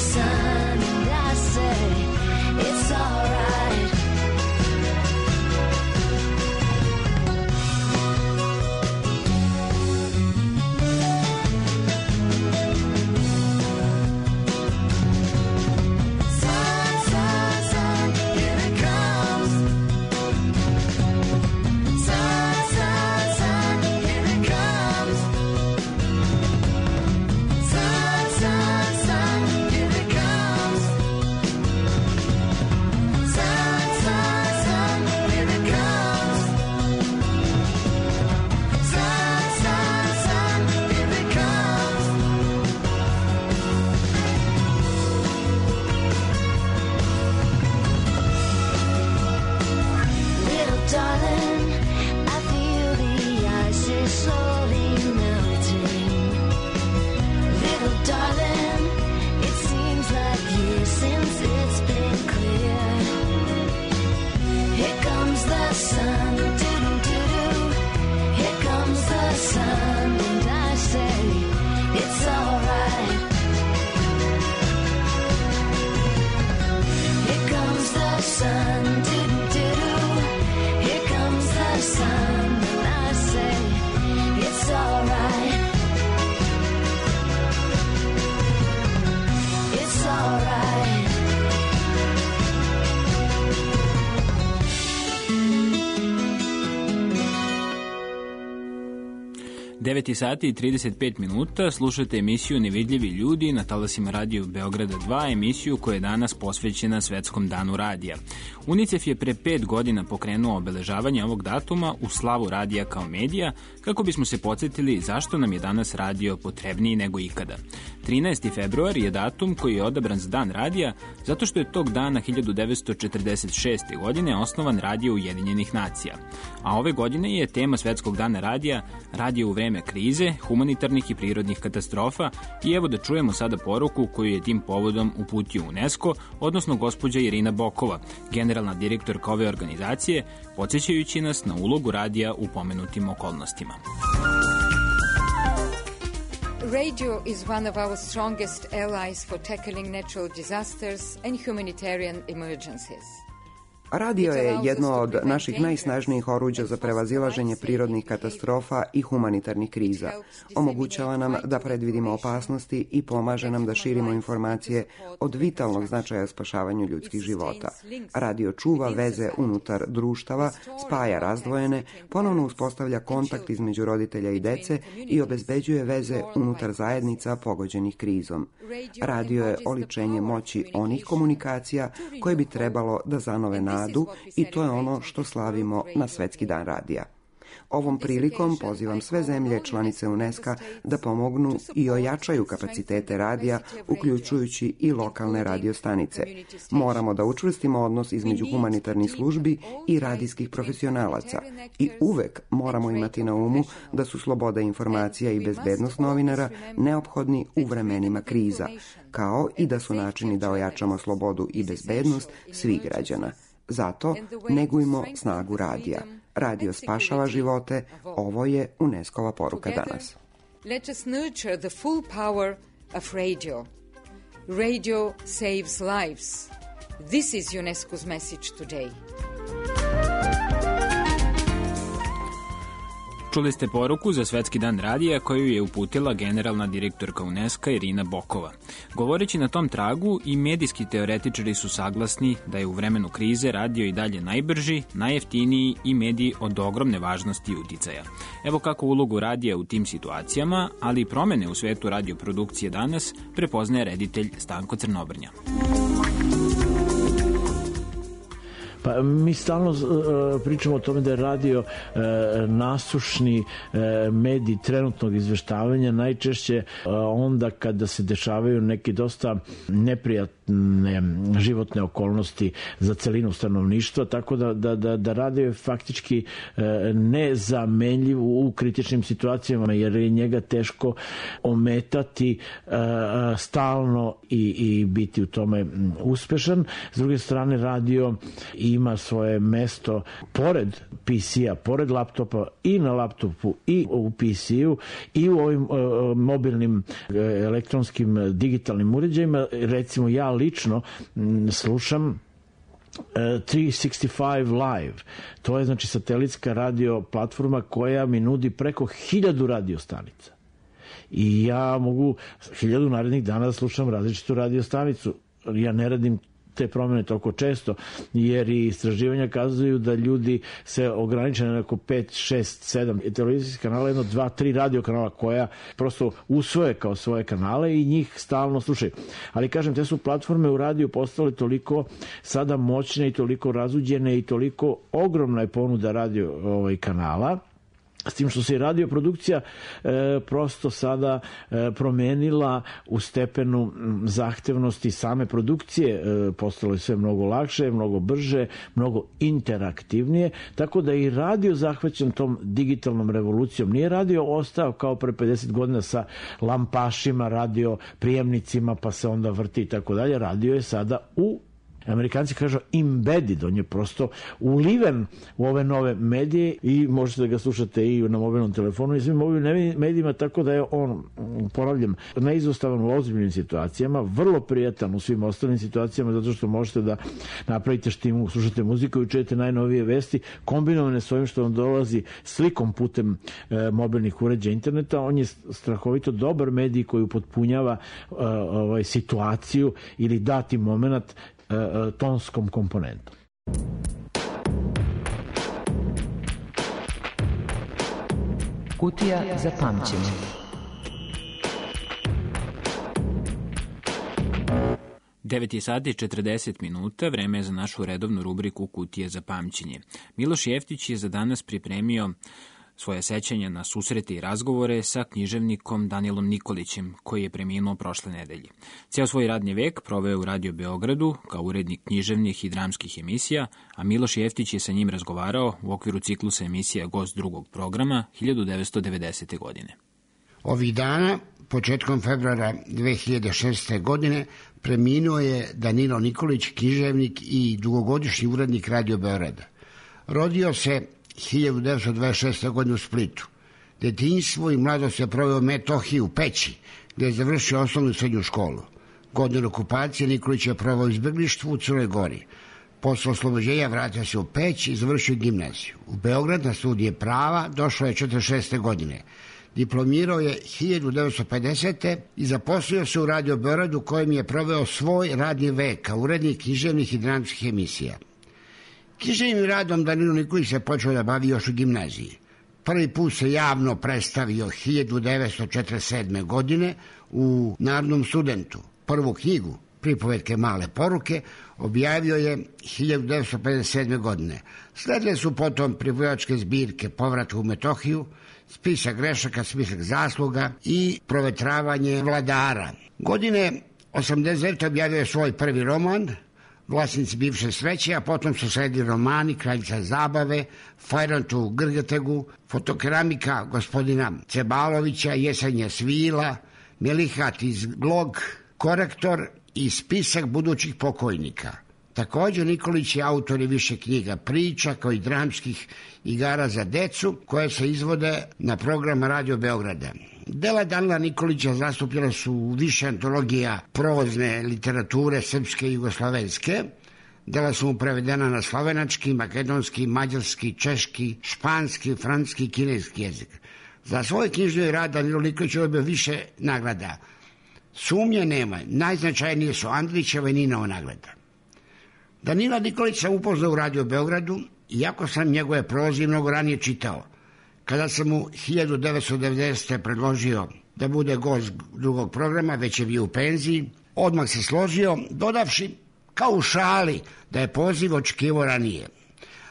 C: sun. Do-do-do-do. Here comes the sun. And I say, it's alright. It's alright.
E: devet sati i trideset pet minuta, slušate emisiju Nevidljivi ljudi na talasima Radio Beograda dva, emisiju koja je danas posvećena Svetskom danu radija. UNICEF je pre pet godina pokrenuo obeležavanje ovog datuma u slavu radija kao medija, kako bismo se podsjetili zašto nam je danas radio potrebniji nego ikada. trinaesti februar je datum koji je odabran za dan radija, zato što je tog dana hiljadu devetsto četrdeset šeste. godine osnovan Radio Ujedinjenih nacija. A ove godine je tema Svetskog dana radija radio u vreme krize, humanitarnih i prirodnih katastrofa i evo da čujemo sada poruku koju je tim povodom uputio UNESCO, odnosno gospođa Irina Bokova, generalna direktorka ove organizacije, podsjećajući nas na ulogu radija u pomenutim okolnostima.
D: Radio is one of our strongest allies for tackling natural disasters and humanitarian emergencies.
V: Radio je jedno od naših najsnažnijih oruđa za prevazilaženje prirodnih katastrofa i humanitarnih kriza. Omogućava nam da predvidimo opasnosti i pomaže nam da širimo informacije od vitalnog značaja spašavanju ljudskih života. Radio čuva veze unutar društava, spaja razdvojene, ponovno uspostavlja kontakt između roditelja i dece i obezbeđuje veze unutar zajednica pogođenih krizom. Radio je oličenje moći onih komunikacija koje bi trebalo da zanove nadu i to je ono što slavimo na Svetski dan radija. Ovom prilikom pozivam sve zemlje članice UNESCO da pomognu i ojačaju kapacitete radija, uključujući i lokalne radiostanice. Moramo da učvrstimo odnos između humanitarnih službi i radijskih profesionalaca i uvek moramo imati na umu da su sloboda informacija i bezbednost novinara neophodni u vremenima kriza, kao i da su načini da ojačamo slobodu i bezbednost svih građana. Zato negujmo snagu radija. Radio spašava živote, ovo je UNESCO-va poruka danas.
D: Let us nurture the full power of radio. Radio saves lives. This is UNESCO's message today.
E: Čuli ste poruku za Svetski dan radija koju je uputila generalna direktorka UNESCO Irina Bokova. Govoreći na tom tragu, i medijski teoretičari su saglasni da je u vremenu krize radio i dalje najbrži, najjeftiniji i medij od ogromne važnosti i uticaja. Evo kako ulogu radija u tim situacijama, ali i promene u svetu radioprodukcije danas prepoznaje reditelj Stanko Crnobrnja.
W: Pa mi stalno uh, pričamo o tome da je radio uh, nasušni uh, medij trenutnog izveštavanja, najčešće uh, onda kada se dešavaju neke dosta neprijatne životne okolnosti za celinu stanovništva, tako da, da, da, da radio je faktički uh, nezamenljiv u kritičnim situacijama, jer je njega teško ometati uh, stalno i, i biti u tome uspešan. S druge strane, radio i ima svoje mesto pored P C-a, pored laptopa, i na laptopu i u P C-u i u ovim uh, mobilnim uh, elektronskim uh, digitalnim uređajima. Recimo ja lično m, slušam uh, tristo šezdeset pet Live. To je znači satelitska radio platforma koja mi nudi preko hiljadu radio stanica. I ja mogu hiljadu narednih dana da slušam različitu radio stanicu. Ja ne radim te promjene toliko često, jer i istraživanja kazuju da ljudi se ograniče na neko pet, šest, sedam televizijskih kanala, jedno, dva, tri radio kanala koja prosto usvoje kao svoje kanale i njih stalno slušaju. Ali kažem, te su platforme u radiju postale toliko sada moćne i toliko razuđene i toliko ogromna je ponuda radio ovaj, kanala, s tim što se i radioprodukcija e, prosto sada e, promenila u stepenu zahtevnosti same produkcije, e, postalo je sve mnogo lakše, mnogo brže, mnogo interaktivnije, tako da i radio zahvaćen tom digitalnom revolucijom. Nije radio ostao kao pre pedeset godina sa lampašima, radio prijemnicima, pa se onda vrti i tako dalje. Radio je sada u Amerikanci kažu embedded, on je prosto uliven u ove nove medije i možete da ga slušate i na mobilnom telefonu i svim mobilnim medijima, tako da je on, ponavljam, neizostavan u ozbiljnim situacijama, vrlo prijatan u svim ostalim situacijama, zato što možete da napravite štimu, slušate muziku i čujete najnovije vesti, kombinovane s ovim što vam dolazi slikom putem e, mobilnih uređaja interneta. On je strahovito dobar medij koji upotpunjava e, ovaj, situaciju ili dati moment e, e, tonskom komponentom.
F: Kutija za pamćenje.
E: devet je sati i četrdeset minuta, vreme je za našu redovnu rubriku Kutije za pamćenje. Miloš Jeftić je za danas pripremio svoje sećanja na susrete i razgovore sa književnikom Danilom Nikolićem, koji je preminuo prošle nedelje. Ceo svoj radni vek proveo u Radio Beogradu kao urednik književnih i dramskih emisija, a Miloš Jeftić je sa njim razgovarao u okviru ciklusa emisija Gost drugog programa hiljadu devetsto devedesete. godine.
G: Ovih dana, početkom februara dve hiljade šeste. godine, preminuo je Danilo Nikolić, književnik i dugogodišnji urednik Radio Beograda. Rodio se hiljadu devetsto dvadeset šeste. godine u Splitu. Detinjstvo i mladost je proveo u Metohiji u Peći, gde je završio osnovnu i srednju školu. Godinu okupacije Nikolić je proveo u izbeglištvu u Crnoj Gori. Posle oslobođenja vratio se u Peć i završio gimnaziju. U Beograd na studije prava došao je četrdeset šeste. godine. Diplomirao je hiljadu devetsto pedesete. i zaposlio se u Radio Beogradu, kojem je proveo svoj radni vek kao urednik književnih i dramskih emisija. Književnim radom Danilo Nikolić se počeo da bavi još u gimnaziji. Prvi put se javno predstavio hiljadu devetsto četrdeset sedme. godine u Narodnom studentu. Prvu knjigu, Pripovetke male poruke, objavio je hiljadu devetsto pedeset sedme. godine. Sledile su potom pripovedačke zbirke Povratak u Metohiju, Spisak grešaka, spisak zasluga i Provetravanje vladara. Godine osamdeset devete. objavio je svoj prvi roman, Vlasnici bivše sreće, a potom su sledili romani Kraljica zabave, Fajrant u Grgetegu, Fotokeramika gospodina Cebalovića, Jesenje svila, Melihat iz Glog, Korektor i Spisak budućih pokojnika. Također Nikolić je autor i više knjiga priča, kao i dramskih igara za decu, koje se izvode na program Radio Beograda. Dela Danila Nikolića zastupljena su u više antologija prozne literature srpske i jugoslovenske. Dela su mu prevedena na slovenački, makedonski, mađarski, češki, španski, francuski i kineski jezik. Za svoj knjižni rad Danilo Nikolić je dobio više nagrada. Sumnje nema, najznačajnije su Andrićeva i Ninova nagrada. Danila Nikolić sam upoznao u Radio Beogradu, iako sam njegove proze mnogo ranije čitao. Kada sam mu hiljadu devetsto devedesete. predložio da bude gost drugog programa, već je bio u penziji, odmah se složio, dodavši kao u šali da je poziv očekivao ranije.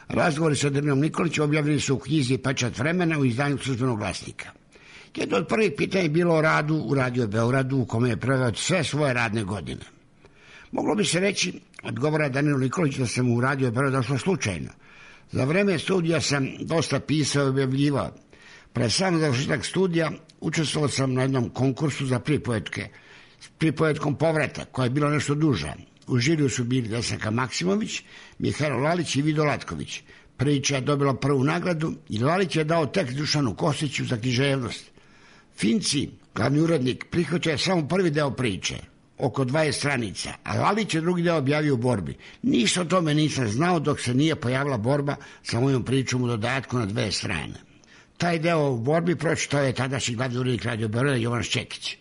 G: Razgovori sa Danilom Nikolićem objavljeni su u knjizi Pečat vremena u izdanju Službenog glasnika. Jedno od prvih pitanja je bilo o radu u Radio Beogradu, u kome je proveo sve svoje radne godine. Moglo bi se reći, odgovara Danilo Nikolić, da sam u Radio Beograd došlo slučajno. Za vreme studija sam dosta pisao i objavljivao. Pre sam završetak studija učestvovao sam na jednom konkursu za pripovetke s pripovetkom Povratak, koja je bila nešto duža. U žiriju su bili Desanka Maksimović, Mihajlo Lalić i Vido Latković. Priča je dobila prvu nagradu i Lalić je dao tekst Dušanu Kostiću za književnost. Finci, glavni urednik, prihvatio je samo prvi deo priče, oko dvadeset stranica, a Lalić je drugi deo objavio u borbi. Ništa o tome nisam znao dok se nije pojavila borba sa mojom pričom u dodatku na dve strane. Taj deo u borbi pročitao je tadašnji glavni urednik Radio Beograda Jovan Šćekić.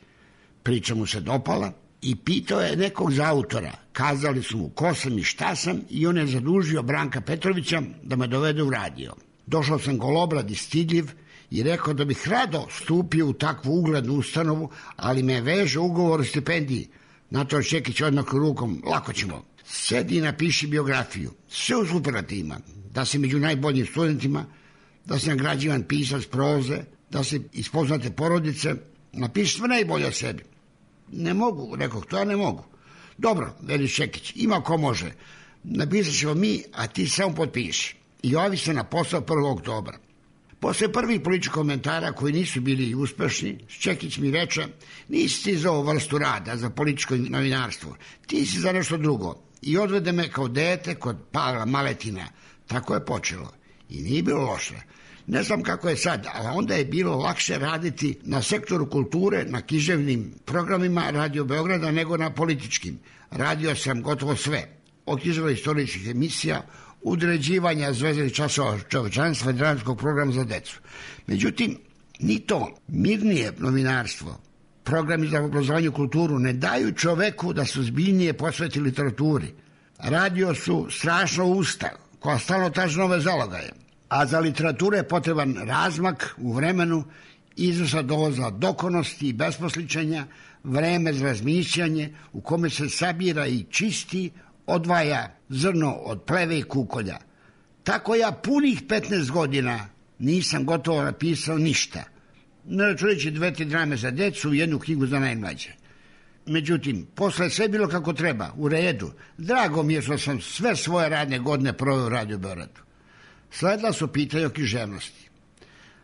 G: Priča mu se dopala i pitao je nekog za autora. Kazali su mu ko sam i šta sam i on je zadužio Branka Petrovića da me dovede u radio. Došao sam golobrad i stidljiv i rekao da bih rado stupio u takvu uglednu ustanovu, ali me veže ugovor o stipendiji. Na to Šćekić odmah rukom, lako ćemo. Sedi i napiši biografiju, sve u superlativima, da si među najboljim studentima, da si nagrađivan pisac proze, da si iz poznate porodice, napiši sve najbolje o sebi. Ne mogu, rekao, to ja ne mogu. Dobro, veli Šćekić, ima ko može. Napisat ćemo mi, a ti samo potpiši. I javi se na posao prvog oktobra. Posle prvih političkih komentara koji nisu bili uspešni, Šćekić mi reče, nisi ti za ovu vrstu rada, za političko novinarstvo, ti si za nešto drugo. i odvede me kao dete kod Pavla Maletina. Tako je počelo i nije bilo loše. Ne znam kako je sad, ali onda je bilo lakše raditi na sektoru kulture, na književnim programima Radio Beograda nego na političkim. Radio sam gotovo sve, od književno-istorijskih emisija, udređivanja zvezdanih časova čovečanstva i dramskog programa za decu. Međutim, ni to, mirnije novinarstvo, programi za obrazovanje i kulturu ne daju čoveku da se ozbiljnije posveti literaturi. Radio su strašno usta koja stalno traži nove zalogaje, a za literaturu je potreban razmak u vremenu, izvršna doza dokonosti i besposličenja, vreme za razmišljanje u kome se sabira i čisti, odvaja zrno od pleve i kukolja. Tako ja punih petnaest godina nisam gotovo napisao ništa, ne računajući dve, tri drame za decu i jednu knjigu za najmlađe. Međutim, posle sve bilo kako treba, u redu. Drago mi je što sam sve svoje radne godine proveo u Radio Beogradu. Sledila su pitanja o književnosti.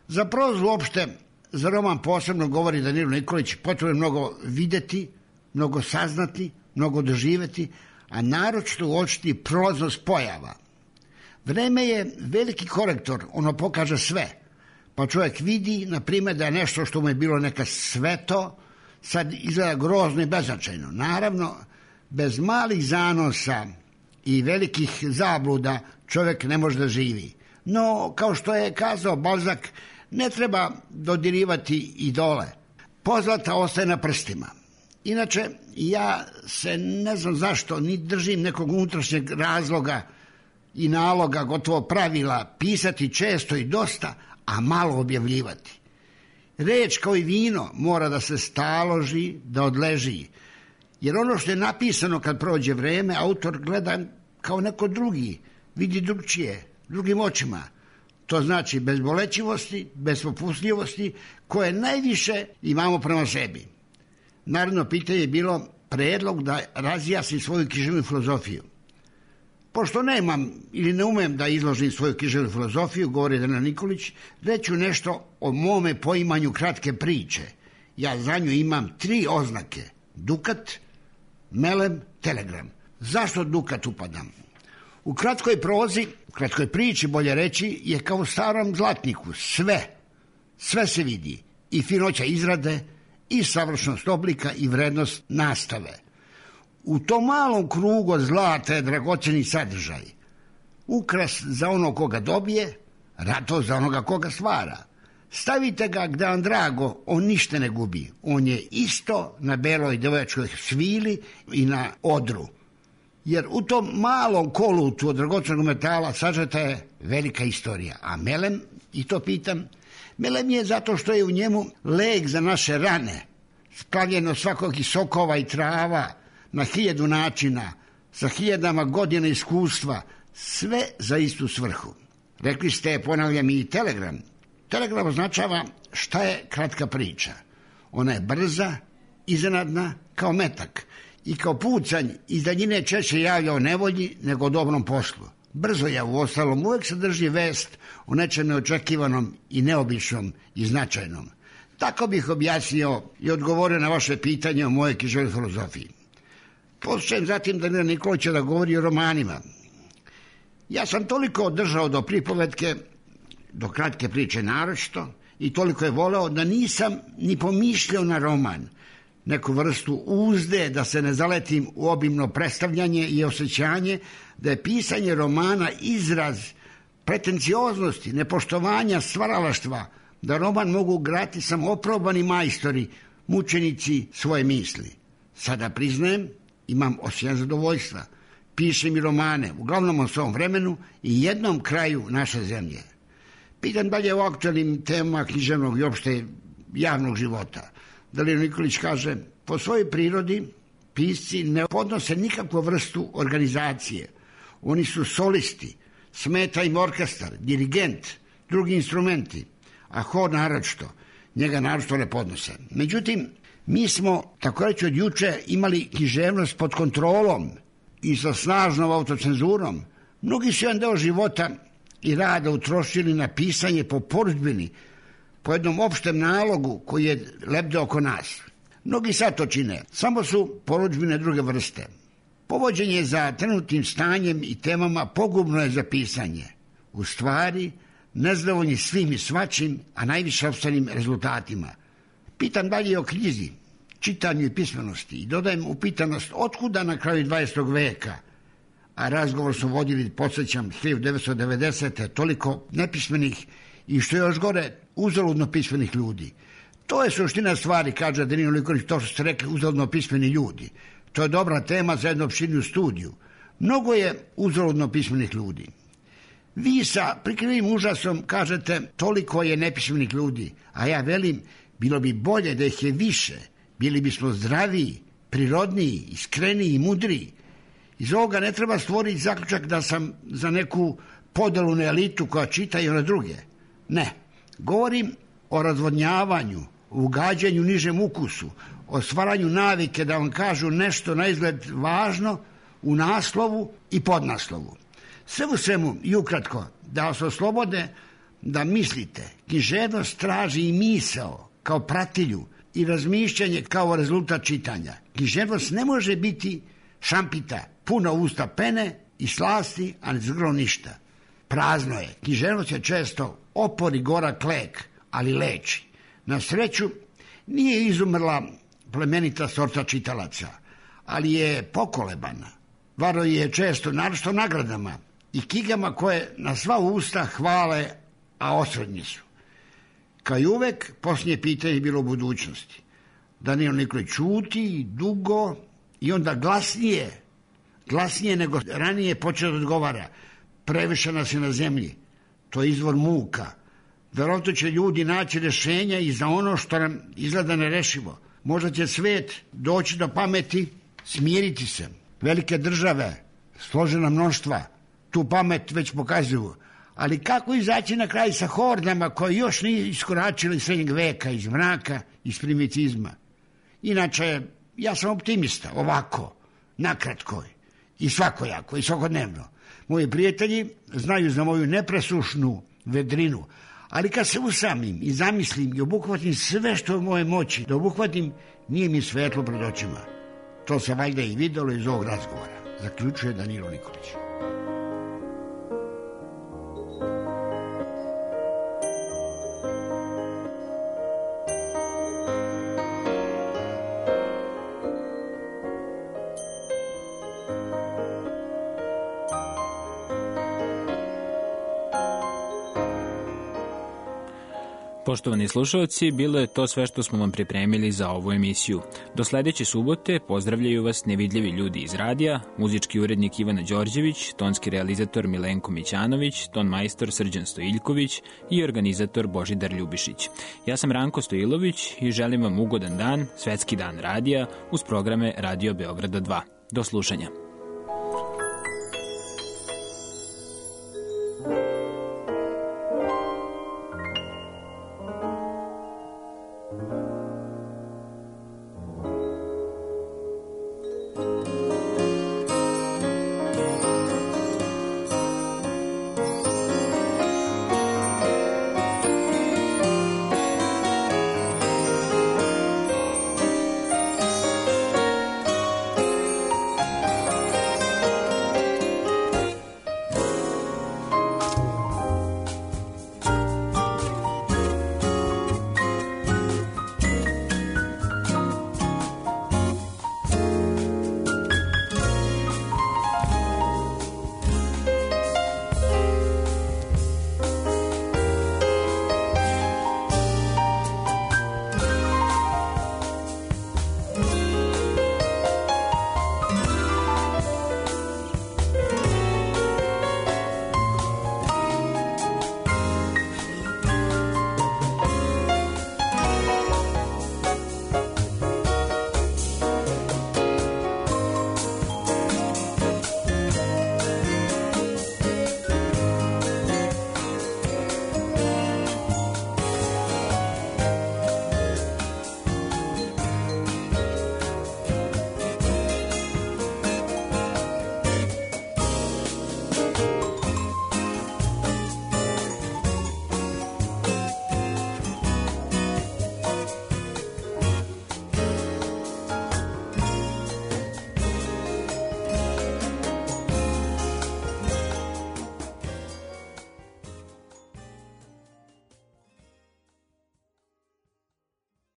G: Za prozu uopšte, za roman posebno govori Danilo Nikolić, potrebno mnogo videti, mnogo saznati, mnogo doživeti, a naročito uočiti proznost pojava. Vreme je veliki korektor, ono pokaže sve. Pa čovjek vidi, na primjer, da je nešto što mu je bilo neka sveto, sad izgleda grozno i beznačajno. Naravno, bez malih zanosa i velikih zabluda čovjek ne može da živi. No, kao što je kazao Balzak, ne treba dodirivati idole. Pozlata ostaje na prstima. Inače, ja se ne znam zašto, ni držim nekog unutrašnjeg razloga i naloga, gotovo pravila, pisati često i dosta, a malo objavljivati. Reč kao i vino mora da se staloži, da odleži, jer ono što je napisano kad prođe vreme, autor gleda kao neko drugi, vidi drugčije, drugim očima. To znači bez bolećivosti, bez popustljivosti, koje najviše imamo prema sebi. Naravno, pitanje je bilo predlog da razjasni svoju književnu filozofiju. Pošto nemam ili ne umem da izložim svoju književnu filozofiju, govori Danilo Nikolić, reću nešto o mome poimanju kratke priče. Ja za nju imam tri oznake: Dukat, Melem, Telegram. Zašto Dukat upadam? U kratkoj prozi, u kratkoj priči, bolje reći, je kao u starom zlatniku sve, sve se vidi, i finoća izrade, i savršenost oblika, i vrednost nastave. U tom malom krugu od zlata je dragoceni sadržaj. Ukras za onog koga dobije, rato za onoga koga stvara. Stavite ga gde vam drago, on ništa ne gubi. On je isto na beloj devojačkoj svili i na odru. Jer u tom malom kolutu od dragocenog metala sažeta je velika istorija. A melem, i to pitam, melem je zato što je u njemu lek za naše rane, splavljeno svakog i sokova i trava, na hiljadu načina, sa hiljadama godina iskustva, sve za istu svrhu. Rekli ste, ponavljam, i Telegram. Telegram označava šta je kratka priča. Ona je brza, iznenadna, kao metak, i kao pucanj iz daljine češće javlja o nevolji nego o dobrom poslu. Brzo je, u ostalom, uvek sadrži vest o nečem neočekivanom i neobičnom i značajnom. Tako bih objasnio i odgovorio na vaše pitanje o mojoj književnoj filozofiji. Poslušajem zatim Danila Nikolića da govori o romanima. Ja sam toliko održao do pripovetke, do kratke priče naročito, i toliko je voleo da nisam ni pomišljao na roman, neku vrstu uzde da se ne zaletim u obimno predstavljanje i osjećanje da je pisanje romana izraz pretencioznosti, nepoštovanja stvaralaštva, da roman mogu grati samo oprobani majstori, mučenici svoje misli. Sada priznajem, imam osjećaj zadovoljstva. Pišem i romane, uglavnom o svom vremenu i jednom kraju naše zemlje. Pitam dalje o aktualnim temama književnog i opšte javnog života. Danilo Nikolić kaže, po svojoj prirodi pisci ne podnose nikakvu vrstu organizacije. Oni su solisti, smeta im orkestar, dirigent, drugi instrumenti, a hor naročito, njega naročito ne podnose. Međutim, mi smo, tako reći od juče, imali književnost pod kontrolom i sa snažnom autocenzurom. Mnogi su jedan deo života i rada utrošili na pisanje po porudžbini, po jednom opštem nalogu koji je lebdeo oko nas. Mnogi sad to čine, samo su porudžbine druge vrste. Povođenje za trenutnim stanjem i temama pogubno je za pisanje. U stvari, nezadovoljni svim i svačim, a najviše opstanim rezultatima. Pitam dalje o knjizi, čitanju i pismenosti i dodajem upitanost otkuda na kraju dvadesetog veka, a razgovor su vodili, podsjećam, hiljadu devetsto devedesete toliko nepismenih i što je još gore, uzaludno pismenih ljudi. To je suština stvari, kaže Danilo Nikolić, to što ste rekli, uzaludno pismeni ljudi. To je dobra tema za jednu opširniju studiju. Mnogo je uzaludno pismenih ljudi. Vi sa prikrivim užasom kažete toliko je nepismenih ljudi, a ja velim, bilo bi bolje da ih je više, bili bismo zdraviji, prirodniji, iskreniji i mudriji. Iz ovoga ne treba stvoriti zaključak da sam za neku podelu na elitu koja čita i ona druge. Ne, govorim o razvodnjavanju, o ugađanju nižem ukusu, o stvaranju navike da vam kažu nešto na izgled važno u naslovu i podnaslovu. Sve u svemu i ukratko, da vas oslobode da mislite. Književnost traži i misao kao pratilju i razmišljanje kao rezultat čitanja. Književnost ne može biti šampita, puna usta pene i slasti, a ne zgrlo ništa. Prazno je. Književnost je često opor i gorak lek, ali leči. Na sreću, nije izumrla plemenita sorta čitalaca, ali je pokolebana. Varo je često, naročito nagradama i knjigama koje na sva usta hvale, a osrednji su. Kao i uvek, posljednje pitanje je bilo u budućnosti. Danilo Nikolić čuti dugo i onda glasnije, glasnije nego ranije počeo da odgovara. Previše nas je na zemlji. To je izvor muka. Verovatno će ljudi naći rešenja i za ono što nam izgleda nerešivo. Možda će svet doći do pameti, smiriti se. Velike države, složena mnoštva, tu pamet već pokazuju. Ali kako izaći na kraj sa hordama koje još nije iskoračili iz srednjeg veka, iz mraka, iz primitizma? Inače, ja sam optimista, ovako, nakratko i svakojako i svakodnevno. Moji prijatelji znaju za moju nepresušnu vedrinu, ali kad se usamim i zamislim i obuhvatim sve što je u moje moći da obuhvatim, nije mi svetlo pred očima. To se valjda i videlo iz ovog razgovora, zaključuje Danilo Nikolić.
E: Poštovani slušalci, bilo je to sve što smo vam pripremili za ovu emisiju. Do sledeće subote pozdravljaju vas nevidljivi ljudi iz radija, muzički urednik Ivana Đorđević, tonski realizator Milenko Mićanović, ton majstor Srđan Stojiljković i organizator Božidar Ljubišić. Ja sam Ranko Stojilović i želim vam ugodan dan, Svetski dan radija, uz programe Radio Beograda dva. Do slušanja.